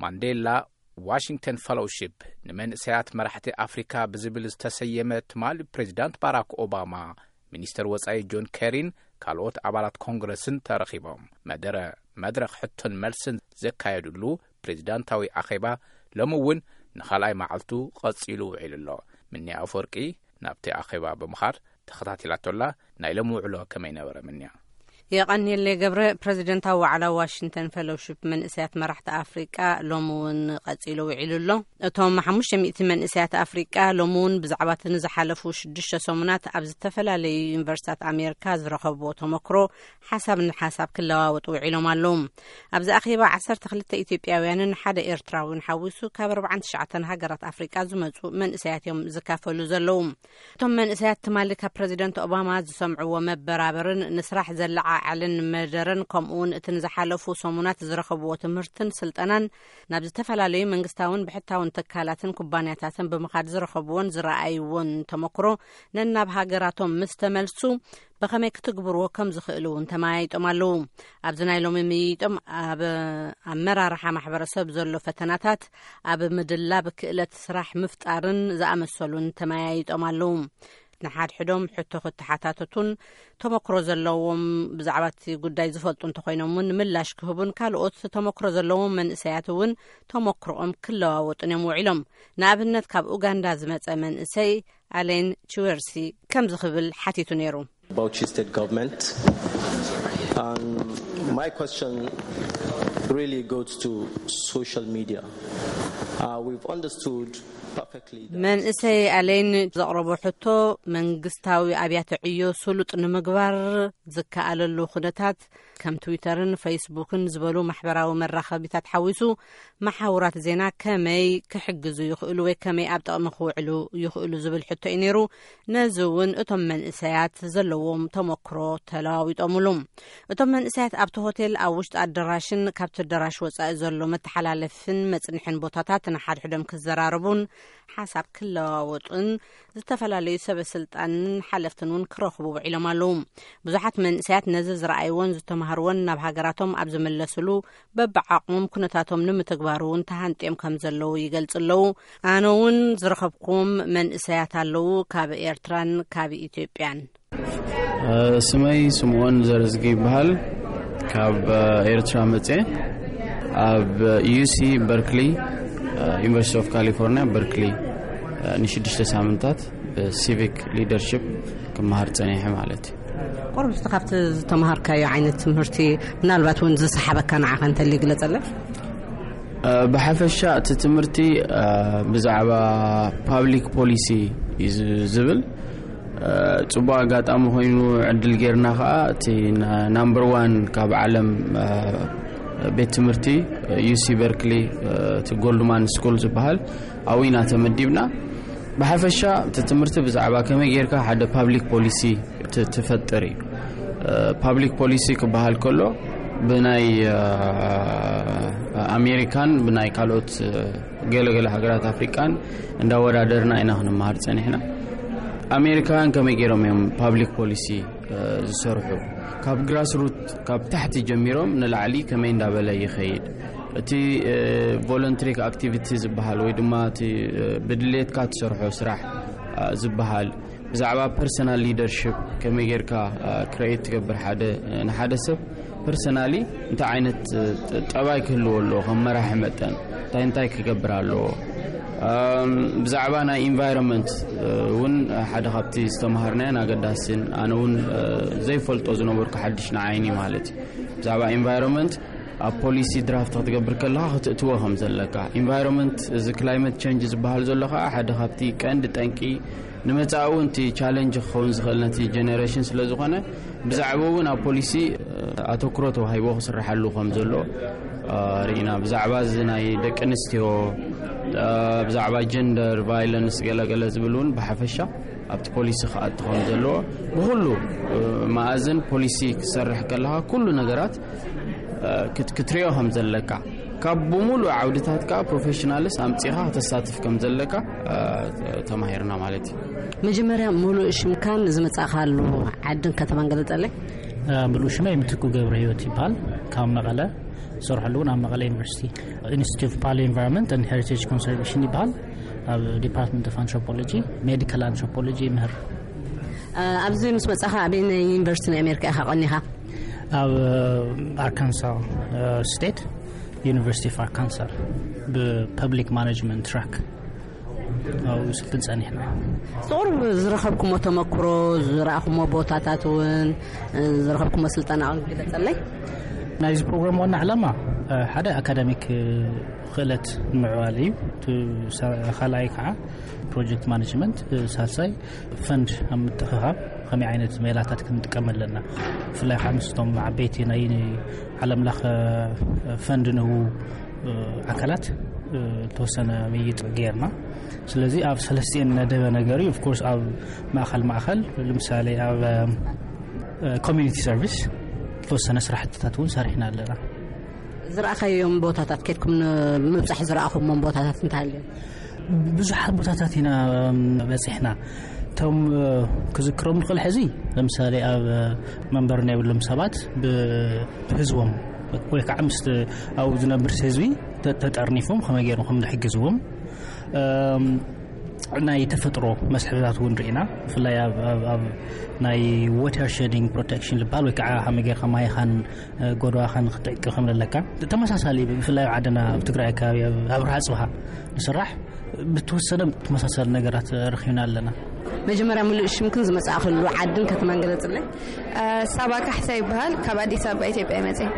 ማንዴላ ዋሽንግተን ፈሎውሺፕ ንመንእሰያት መራሕቲ ኣፍሪካ ብዝብል ዝተሰየመ ትማሊ ፕሬዚዳንት ባራክ ኦባማ፣ ሚኒስተር ወጻኢ ጆን ኬሪን ካልኦት ኣባላት ኮንግረስን ተረኺቦም መደረ መድረኽ ሕቶን መልስን ዘካየዱሉ ፕሬዚዳንታዊ ኣኼባ ሎሚ እውን ንኻልኣይ መዓልቱ ቀጺሉ ውዒሉ ኣሎ። ምኒ ኣፈወርቂ ናብቲ ኣኼባ ብምኻድ ተኸታቲላቶላ። ናይ ሎም ውዕሎ ከመይ ነበረ ምንያ? የቐንየለይ ገብረ። ፕረዚደንታዊ ዋዕላ ዋሽንግተን ፌሎውሺፕ መንእሰያት መራሕቲ ኣፍሪቃ ሎሚ እውን ቀጺሉ ውዒሉ ኣሎ። እቶም ሓሙሽተ ሚእቲ መንእሰያት ኣፍሪቃ ሎሚ እውን ብዛዕባ እቲ ንዝሓለፉ ሽዱሽተ ሰሙናት ኣብ ዝተፈላለዩ ዩኒቨርሲታት ኣሜሪካ ዝረኸብዎ ተመክሮ ሓሳብ ንሓሳብ ክለዋወጡ ውዒሎም ኣለዉ። ኣብዚ ኣኼባ ዓሰርተ ክልተ ኢትዮጵያውያንን ሓደ ኤርትራዊን ሓዊሱ ካብ ኣርባዓን ትሽዓተን ሃገራት ኣፍሪቃ ዝመጹ መንእሰያት እዮም ዝካፈሉ ዘለዉ። እቶም መንእሰያት ትማሊ ካብ ፕረዚደንት ኦባማ ዝሰምዕዎ መበራበርን ንስራሕ ዘለዓዓልን መደረን፣ ከምኡውን እቲ ንዝሓለፉ ሰሙናት ዝረኸብዎ ትምህርትን ስልጠናን ናብ ዝተፈላለዩ መንግስታውን ብሕታውን ትካላትን ኩባንያታትን ብምኻድ ዝረኸብዎን ዝረኣይዎን ተመክሮ ነናብ ሃገራቶም ምስ ተመልሱ ብኸመይ ክትግብርዎ ከም ዝኽእሉ እውን ተመያይጦም ኣለዉ። ኣብዚ ናይ ሎሚ ምይይጦም ኣብ ኣመራርሓ ማሕበረሰብ ዘሎ ፈተናታት፣ ኣብ ምድላብ ክእለት ስራሕ ምፍጣርን ዝኣመሰሉን ተመያይጦም ኣለዉ። ንሓድሕዶም ሕቶ ክተሓታተቱን ተመክሮ ዘለዎም ብዛዕባ እቲ ጉዳይ ዝፈልጡ እንተኾይኖም እውን ምላሽ ክህቡን ካልኦት ተመክሮ ዘለዎም መንእሰያት እውን ተመክሮኦም ክለዋወጡን እዮም ውዒሎም። ንኣብነት ካብ ኡጋንዳ ዝመጸ መንእሰይ ኣሌን ቺወርሲ ከምዚ ክብል ሓቲቱ ነይሩ። Bauchi State Government. And my question really goes to social media. Uh, we've understood perfectly that መንእሰይ ኣሌን ዘቕረቦ ሕቶ መንግስታዊ ኣብያተ ዕዮ ስሉጥ ንምግባር ዝከኣለሉ ኩነታት ከም ትዊተርን ፌስቡክን ዝበሉ ማሕበራዊ መራኸቢታት ሓዊሱ መሓውራት ዜና ከመይ ክሕግዙ ይኽእሉ ወይ ከመይ ኣብ ጥቕሚ ክውዕሉ ይኽእሉ ዝብል ሕቶ እዩ ነይሩ። ነዚ እውን እቶም መንእሰያት ዘለዎም ተመክሮ ተለዋዊጦምሉ። እቶም መንእሰያት ኣብቲ ሆቴል ኣብ ውሽጢ ኣደራሽን ካብቲ ኣደራሽ ወጻኢ ዘሎ መተሓላለፍን መጽንሕን ቦታታት ንሓድሕዶም ክዘራረቡን ሓሳብ ክለዋወጡን ዝተፈላለዩ ሰበ ስልጣንን ሓለፍትን እውን ክረኽቡ ውዒሎም ኣለዉ። ብዙሓት መንእሰያት ነዚ ዝረኣይዎን ዝተማሃርዎን ናብ ሃገራቶም ኣብ ዝምለስሉ በብዓቕሞም ኩነታቶም ንምትግባሩ እውን ተሃንጥዮም ከም ዘለዉ ይገልጹ ኣለዉ። ኣነ እውን ዝረኸብኩም መንእሰያት ኣለዉ፣ ካብ ኤርትራን ካብ ኢትዮጵያን። ስመይ ስምኦን ዘርዝጊ ይበሃል። ካብ ኤርትራ መጽየ፣ ኣብ ዩሲ በርክሊ፣ ዩኒቨርሲቲ ኦፍ ካሊፎርኒያ በርክሊ፣ ንሽዱሽተ ሳምንታት ብሲቪክ ሊደርሽፕ ክመሃር ጸኒሐ ማለት እዩ። ቁሩብ እስቲ ካብቲ ዝተምሃርካዮ ዓይነት ትምህርቲ ምናልባት እውን ዝሰሓበካ ንዓኻ እንተልዩ ግለጸለይ። ብሓፈሻ እቲ ትምህርቲ ብዛዕባ ፓብሊክ ፖሊሲ እዩ ዝብል። ጽቡቕ ኣጋጣሚ ኮይኑ ዕድል ጌርና ከኣ እቲ ናምበር ዋን ካብ ዓለም ቤት ትምህርቲ ዩሲ በርክሊ፣ እቲ ጎልድማን ስኩል ዝበሃል ኣብኡ ኢና ተመዲብና። ብሓፈሻ እቲ ትምህርቲ ብዛዕባ ከመይ ጌርካ ሓደ ፓብሊክ ፖሊሲ ትፈጥር እዩ። ፓብሊክ ፖሊሲ ክበሃል ከሎ ብናይ ኣሜሪካን ብናይ ካልኦት ገለገለ ሃገራት ኣፍሪቃን እንዳወዳደርና ኢና ክንመሃር ጸኒሕና። ኣሜሪካውያን ከመይ ገይሮም እዮም ፓብሊክ ፖሊሲ ዝሰርሑ? ካብ ግራስሩት፣ ካብ ታሕቲ ጀሚሮም ንላዕሊ ከመይ እንዳበለ ይኸይድ? እቲ ቮለንትሪክ ኣክቲቪቲ ዝበሃል ወይ ድማ እቲ ብድሌትካ ትሰርሖ ስራሕ ዝበሃል ብዛዕባ ፐርሰናል ሊደርሽፕ ከመይ ጌርካ ክረኤት ትገብር፣ ሓደ ንሓደ ሰብ ፐርሰናሊ እንታይ ዓይነት ጠባይ ክህልዎ ኣለዎ ከም መራሒ መጠን እንታይ እንታይ ክገብር ኣለዎ። ብዛዕባ ናይ ኢንቫይሮንመንት እውን ሓደ ካብቲ ዝተምሃርናዮን ኣገዳሲን፣ ኣነ እውን ዘይፈልጦ ዝነበርኩ ሓድሽ ንዓይኒ ማለት እዩ። ብዛዕባ ኢንቫይሮንመንት ኣብ ፖሊሲ ድራፍት ክትገብር ከለኻ ክትእትዎ ከም ዘለካ፣ ኢንቫይሮንመንት፣ እዚ ክላይመት ቸንጅ ዝበሃል ዘሎ ከዓ ሓደ ካብቲ ቀንዲ ጠንቂ ንመጻኢ እውን እቲ ቻለንጅ ክኸውን ዝኽእል ነቲ ጀነሬሽን ስለ ዝኾነ፣ ብዛዕባ እውን ኣብ ፖሊሲ ኣተኩሮ ተዋሂቦ ክስርሓሉ ከም ዘሎ ርኢና። ብዛዕባ እዚ ናይ ደቂ ኣንስትዮ፣ ብዛዕባ ጀንደር ቫይለንስ ገለገለ ዝብል እውን ብሓፈሻ ኣብቲ ፖሊሲ ክኣቱ ከም ዘለዎ፣ ብኩሉ መኣዝን ፖሊሲ ክሰርሕ ከለኻ ኩሉ ነገራት ክትሪኦ ከም ዘለካ፣ ካብ ብምሉእ ዓውድታት ከዓ ፕሮፌሽናልስ ኣምጺኻ ክተሳትፍ ከም ዘለካ ተማሂርና ማለት እዩ። መጀመርያ ምሉእ ሽምካን ዝመጻእካሉ ዓድን ከተማን ገለጸለይ። ምሉእ ሽመይ ምትኩ ገብረ ህይወት ይበሃል። ካብ መቐለ ዝሰርሐሉ እውን ኣብ መቐለ ዩኒቨርሲቲ ኢንስቲትዩት ኦፍ ፓሊዮ ኢንቫይሮንመንት ኤንድ ሄሪቴጅ ኮንሰርቬሽን ይበሃል። ኣብ ዲፓርትመንት ኦፍ ኣንትሮፖሎጂ፣ ሜዲካል ኣንትሮፖሎጂ ይምህር። ኣብዚ ምስ መጻኻ ኣበይ ናይ ዩኒቨርሲቲ ናይ ኣሜሪካ ኢኻ ቀኒኻ? ኣብ ኣርካንሳ ስቴት ዩኒቨርሲቲ ኦፍ ኣርካንሳ ብፐብሊክ ማኔጅመንት ትራክ ኣብኡ ስልጥን ጸኒሕና። ቁሩብ ዝረኸብኩሞ ተመክሮ፣ ዝረኣኹሞ ቦታታት እውን፣ ዝረኸብኩሞ ስልጠና ግለጸለይ። ናይዚ ፕሮግራም ዋና ዕላማ ሓደ ኣካዳሚክ ክእለት ንምዕባል እዩ። እቲ ካልኣይ ከዓ ፕሮጀክት ማኔጅመንት፣ ሳልሳይ ፈንድ ኣብ ምትእኽኻብ ከመይ ዓይነት ሜላታት ክንጥቀም ኣለና። ብፍላይ ከዓ ምስቶም ዓበይቲ ናይ ዓለም ለኸ ፈንድ ንህቡ ኣካላት ዝተወሰነ ምይይጥ ጌርና። ስለዚ ኣብ ሰለስቲኤን ነደበ ነገር እዩ። ኦፍኮርስ ኣብ ማእኸል ማእኸል፣ ንምሳሌ ኣብ ኮሚኒቲ ሰርቪስ ዝተወሰነ ስራሕትታት እውን ሰሪሕና ኣለና። ዝረኣኻዮም ቦታታት፣ ከድኩም ንምብፃሕ ዝረኣኹሞም ቦታታት እንታይ ኣለዮም? ብዙሓት ቦታታት ኢና በፂሕና። እቶም ክዝክሮም ንኽእል ሕዚ፣ ለምሳሌ ኣብ መንበር ናይ ብሎም ሰባት ብህዝቦም ወይ ከዓ ምስ ኣብኡ ዝነብር ህዝቢ ተጠርኒፎም ከመይ ገይሮም ከም ዝሕግዝዎም፣ ናይ ተፈጥሮ መስሕብታት እውን ርኢና። ብፍላይ ኣብ ናይ ዋተር ሸዲንግ ፕሮቴክሽን ዝበሃል ወይ ከዓ ከመይ ጌርካ ማይኻን ጎደዋኻን ክትዕቂ ከም ዘለካ ተመሳሳሊ፣ ብፍላይ ኣብ ዓድና ኣብ ትግራይ ኣከባቢ ኣብ ኣብርሃ ፅብሃ ንስራሕ ብተወሰነ ተመሳሳሊ ነገራት ረኺብና ኣለና። መጀመርያ ምሉእ ሽምክን ዝመጻእክሉ ዓድን ከተማን ገለጽለይ። ሳባ ካሕሳ ይበሃል። ካብ ኣዲስ ኣበባ ኢትዮጵያ ይመጽእ።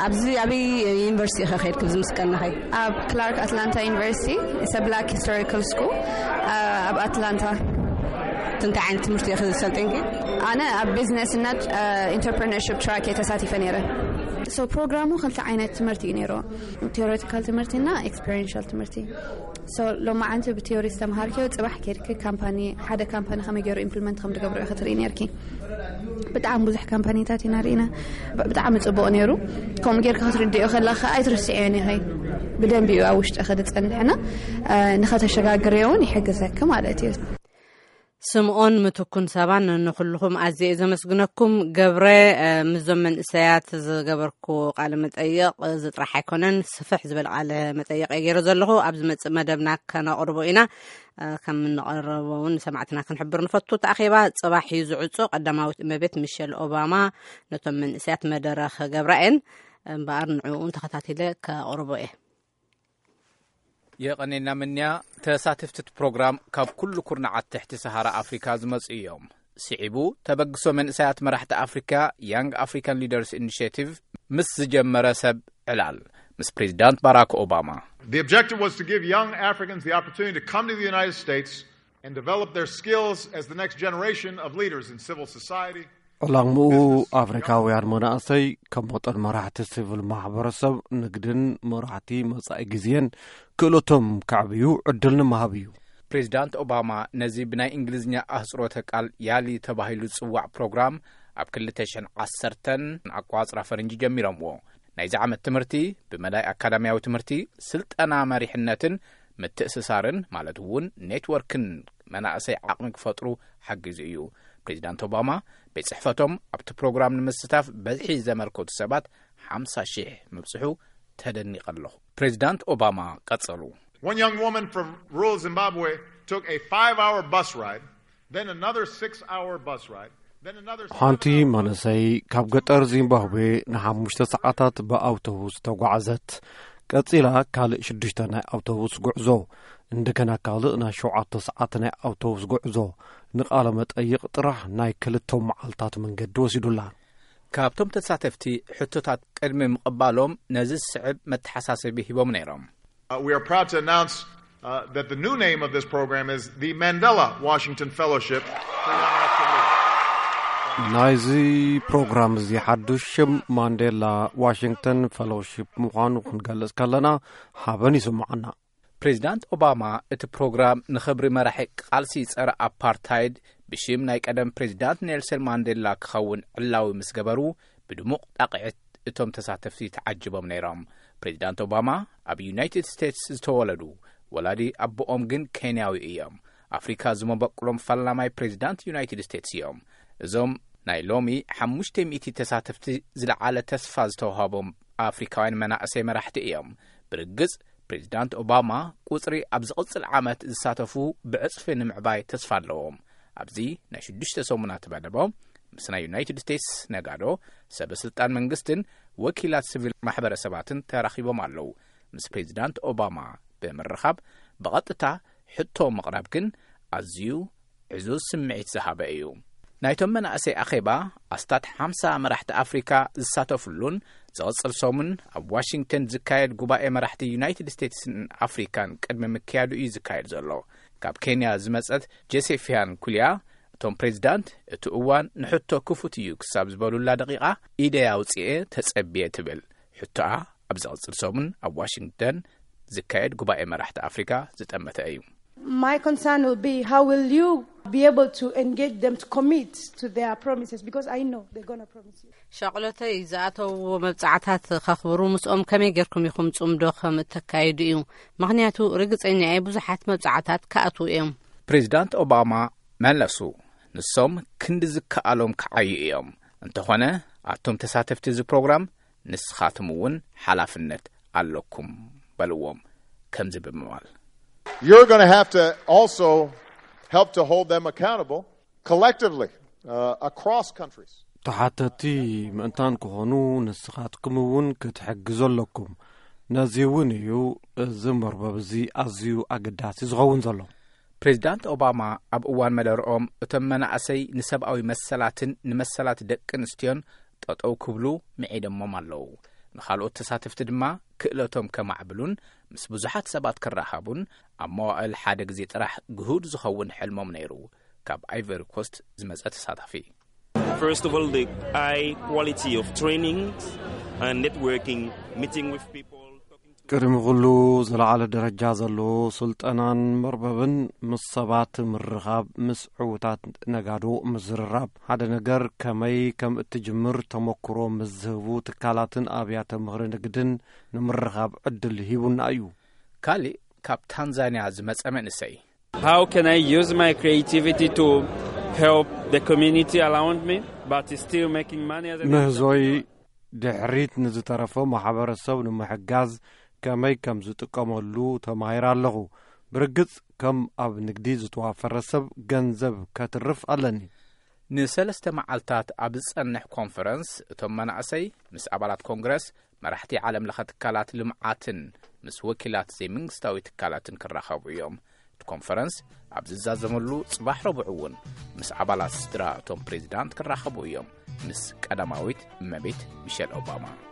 ኣብዚ ኣበይ ዩኒቨርሲቲ ኢኸ ከይድክ ብዚ ምስ ቀነኸይ? ኣብ ክላርክ ኣትላንታ ዩኒቨርሲቲ ሰብላክ ሂስቶሪካል ስኩል ኣብ ኣትላንታ። እንታይ ዓይነት ትምህርቲ ኢኸ ዝሰልጥንኪ? ኣነ ኣብ ቢዝነስ እና ኢንተርፕረነርሽፕ ትራክ እየ ተሳቲፈ ነይረ። So ፕሮግራሙ ክልተ ዓይነት ትምህርቲ እዩ ነይሩ። ቴዎሬቲካል ትምህርቲና ኤክስፔሪንሻል ትምህርቲ። So ሎማዓንቲ ብቴዎሪ ዝተምሃርክዮ ጽባሕ ከይድኪ ካምፓኒ፣ ሓደ ካምፓኒ ከመይ ገይሩ ኢምፕሊመንት ከም ዝገብሩ ኢኺ ትርኢ ነርኪ። ብጣዕሚ ብዙሕ ካምፓኒታት ኢና ርኢና። ብጣዕሚ ጽቡቕ ነይሩ። ከምኡ ጌርካ ክትርድዮ ከለኻ ኣይትርስዕዮን ኢኺ። ብደንቢ እዩ ኣብ ውሽጢ ክድጸንሕና ንኸተሸጋግርዮ እውን ይሕግዘኪ ማለት እዩ። ስምኦን ምትኩን ሳባን ንኩልኹም ኣዝየ ዘመስግነኩም። ገብረ፣ ምስዞም መንእሰያት ዝገበርኩ ቃለ መጠይቕ ዝጥራሕ ኣይኮነን፣ ስፍሕ ዝበለ ቃለ መጠይቕ እየ ገይረ ዘለኹ። ኣብ ዝመጽእ መደብና ከነቕርቦ ኢና። ከም እንቐረቦ እውን ንሰማዕትና ክንሕብር ንፈቱ። እቲ ኣኼባ ጽባሕ እዩ ዝዕጾ። ቀዳማዊት እመቤት ሚሸል ኦባማ ነቶም መንእሰያት መደረ ክገብራ እየን። እምበኣር ንዕኡ ተኸታቲለ ከቕርቦ እየ። የቐኔና ምንያ። ተሳተፍቲ እቲ ፕሮግራም ካብ ኩሉ ኩርናዓት ትሕቲ ሰሃራ ኣፍሪካ ዝመጹ እዮም። ስዒቡ ተበግሶ መንእሰያት መራሕቲ ኣፍሪካ፣ ያንግ ኣፍሪካን ሊደርስ ኢኒሽቲቭ፣ ምስ ዝጀመረ ሰብ ዕላል ምስ ፕሬዚዳንት ባራክ ኦባማ። The objective was to give young Africans the opportunity to come to the United States and develop their skills as the next generation of leaders in civil society. ዕላምኡ ኣፍሪካውያን መናእሰይ ከም መጠን መራሕቲ ሲቪል ማሕበረሰብ፣ ንግድን መራሕቲ መጻኢ ግዜን ክእለቶም ከዕብዩ ዕድል ንምሃብ እዩ። ፕሬዚዳንት ኦባማ ነዚ ብናይ እንግሊዝኛ ኣህጽሮተ ቃል ያሊ ተባሂሉ ዝጽዋዕ ፕሮግራም ኣብ ክልተ ሽሕን ዓሰርተን ኣቋጽራ ፈረንጂ ጀሚሮምዎ። ናይዚ ዓመት ትምህርቲ ብመዳይ ኣካዳሚያዊ ትምህርቲ፣ ስልጠና መሪሕነትን ምትእስሳርን ማለት እውን ኔትወርክን መናእሰይ ዓቕሚ ክፈጥሩ ሓጊዙ እዩ። ፕሬዚዳንት ኦባማ ቤት ጽሕፈቶም ኣብቲ ፕሮግራም ንምስታፍ በዝሒ ዘመልከቱ ሰባት ሓምሳ ሺሕ ምብጽሑ ተደኒቐ ኣለኹ። ፕሬዚዳንት ኦባማ ቀጸሉ። One young woman from rural Zimbabwe took a five-hour bus ride, then another six-hour bus ride, then another ሓንቲ መንእሰይ ካብ ገጠር ዚምባብዌ ንሓሙሽተ ሰዓታት ብኣውቶቡስ ተጓዕዘት። ቀጺላ ካልእ ሽዱሽተ ናይ ኣውቶቡስ ጉዕዞ፣ እንደገና ካልእ ናይ ሸውዓተ ሰዓት ናይ ኣውቶቡስ ጉዕዞ። ንቃለ መጠይቕ ጥራሕ ናይ ክልተ መዓልታት መንገዲ ወሲዱላ። ካብቶም ተሳተፍቲ ሕቶታት ቅድሚ ምቕባሎም ነዚ ዝስዕብ መተሓሳሰቢ ሂቦም ነይሮም። Uh, we are proud to announce uh, that the new name of this program is the Mandela Washington Fellowship for Young African Leaders. ናይዚ ፕሮግራም እዚ ሓዱሽ ሽም ማንዴላ ዋሽንግተን ፈሎሺፕ ምዃኑ ክንገልጽ ከለና ሓበን ይስምዓና። ፕሬዚዳንት ኦባማ እቲ ፕሮግራም ንኽብሪ መራሒ ቃልሲ ጸረ ኣፓርታይድ ብሽም ናይ ቀደም ፕሬዚዳንት ኔልሰን ማንዴላ ክኸውን ዕላዊ ምስ ገበሩ ብድሙቕ ጣቕዒት እቶም ተሳተፍቲ ተዓጅቦም ነይሮም። ፕሬዚዳንት ኦባማ ኣብ ዩናይትድ ስቴትስ ዝተወለዱ፣ ወላዲ ኣቦኦም ግን ኬንያዊ እዮም። ኣፍሪካ ዝመበቁሎም ፈላማይ ፕሬዚዳንት ዩናይትድ ስቴትስ እዮም። እዞም ናይ ሎሚ ሓሙሽተ ሚእቲ ተሳተፍቲ ዝለዓለ ተስፋ ዝተዋሃቦም ኣፍሪካውያን መናእሰይ መራሕቲ እዮም። ብርግጽ፣ ፕሬዚዳንት ኦባማ ቁጽሪ ኣብ ዝቕጽል ዓመት ዝሳተፉ ብዕጽፊ ንምዕባይ ተስፋ ኣለዎም። ኣብዚ ናይ ሽዱሽተ ሰሙናት መደቦም ምስ ናይ ዩናይትድ ስቴትስ ነጋዶ፣ ሰበ ስልጣን መንግስትን ወኪላት ሲቪል ማሕበረሰባትን ተራኺቦም ኣለዉ። ምስ ፕሬዚዳንት ኦባማ ብምርኻብ ብቐጥታ ሕቶ ምቕራብ ግን ኣዝዩ ዕዙዝ ስምዒት ዝሃበ እዩ። ናይቶም መናእሰይ ኣኼባ ኣስታት ሓምሳ መራሕቲ ኣፍሪካ ዝሳተፉሉን ዝቕጽል ሰሙን ኣብ ዋሽንግተን ዝካየድ ጉባኤ መራሕቲ ዩናይትድ ስቴትስን ኣፍሪካን ቅድሚ ምክያዱ እዩ ዝካየድ ዘሎ። ካብ ኬንያ ዝመጸት ጆሴፊያን ኩሊያ፣ እቶም ፕሬዚዳንት እቲ እዋን ንሕቶ ክፉት እዩ ክሳብ ዝበሉላ ደቂቓ ኢደይ ኣውፅኤ ተጸብየ ትብል። ሕቶኣ ኣብ ዝቕጽል ሰሙን ኣብ ዋሽንግተን ዝካየድ ጉባኤ መራሕቲ ኣፍሪካ ዝጠመተ እዩ። My concern will be, how will you be able to engage them to commit to their promises? Because I know they're going to promise you. ሻቕሎተይ ዝኣተውዎ መብጻዕታት ከኽብሩ ምስኦም ከመይ ጌርኩም ኢኹም ጽምዶ ከም እተካይዱ እዩ። ምኽንያቱ ርግጸኛ እየ ብዙሓት መብጻዕታት ክኣትዉ እዮም። ፕሬዚዳንት ኦባማ መለሱ፣ ንሶም ክንዲ ዝከኣሎም ክዓዩ እዮም። እንተኾነ ኣቶም ተሳተፍቲ እዚ ፕሮግራም ንስኻትም እውን ሓላፍነት ኣለኩም በልዎም። ከምዚ ብምባል You're going to have to also help to hold them accountable collectively uh, across countries. ተሓተቲ ምእንታን ክኾኑ ንስኻትኩም እውን ክትሕግዙ ኣለኩም። ነዚ እውን እዩ እዚ መርበብ እዚ ኣዝዩ ኣገዳሲ ዝኸውን ዘሎ። ፕሬዚዳንት ኦባማ ኣብ እዋን መደርኦም እቶም መናእሰይ ንሰብኣዊ መሰላትን ንመሰላት ደቂ ኣንስትዮን ጠጠው ክብሉ ምዒደሞም ኣለዉ። ንኻልኦት ተሳተፍቲ ድማ ክእለቶም ከማዕብሉን ምስ ብዙሓት ሰባት ክራኸቡን ኣብ መዋእል ሓደ ግዜ ጥራሕ ግሁድ ዝኸውን ሕልሞም ነይሩ። ካብ ኣይቨሪ ኮስት ዝመጸ ተሳታፊ First of all, the high quality of training and networking, meeting with people, talking to ቅድሚ ኩሉ ዝለዓለ ደረጃ ዘለዎ ስልጠናን መርበብን ምስ ሰባት ምርኻብ፣ ምስ ዕዉታት ነጋዶ ምዝርራብ፣ ሓደ ነገር ከመይ ከም እትጅምር ተመክሮ ምስ ዝህቡ ትካላትን ኣብያተ ምኽሪ ንግድን ንምርኻብ ዕድል ሂቡና እዩ። ካሊእ ካብ ታንዛንያ ዝመጸ መንእሰይ How can I use my creativity to help the community around me, but still making money as a ምህዞይ ድሕሪት ንዝተረፈ ማሕበረሰብ ንምሕጋዝ ከመይ ከም ዝጥቀመሉ ተማሂረ ኣለኹ። ብርግጽ ከም ኣብ ንግዲ ዝተዋፈረ ሰብ ገንዘብ ከትርፍ ኣለኒ። ንሰለስተ መዓልታት ኣብ ዝጸንሕ ኮንፈረንስ እቶም መናእሰይ ምስ ኣባላት ኮንግረስ፣ መራሕቲ ዓለም ለኸ ትካላት ልምዓትን ምስ ወኪላት ዘይመንግስታዊ ትካላትን ክራኸቡ እዮም። እቲ ኮንፈረንስ ኣብ ዝዛዘመሉ ጽባሕ ረቡዕ እውን ምስ ኣባላት ስድራ እቶም ፕሬዚዳንት ክራኸቡ እዮም፣ ምስ ቀዳማዊት እመቤት ሚሸል ኦባማ።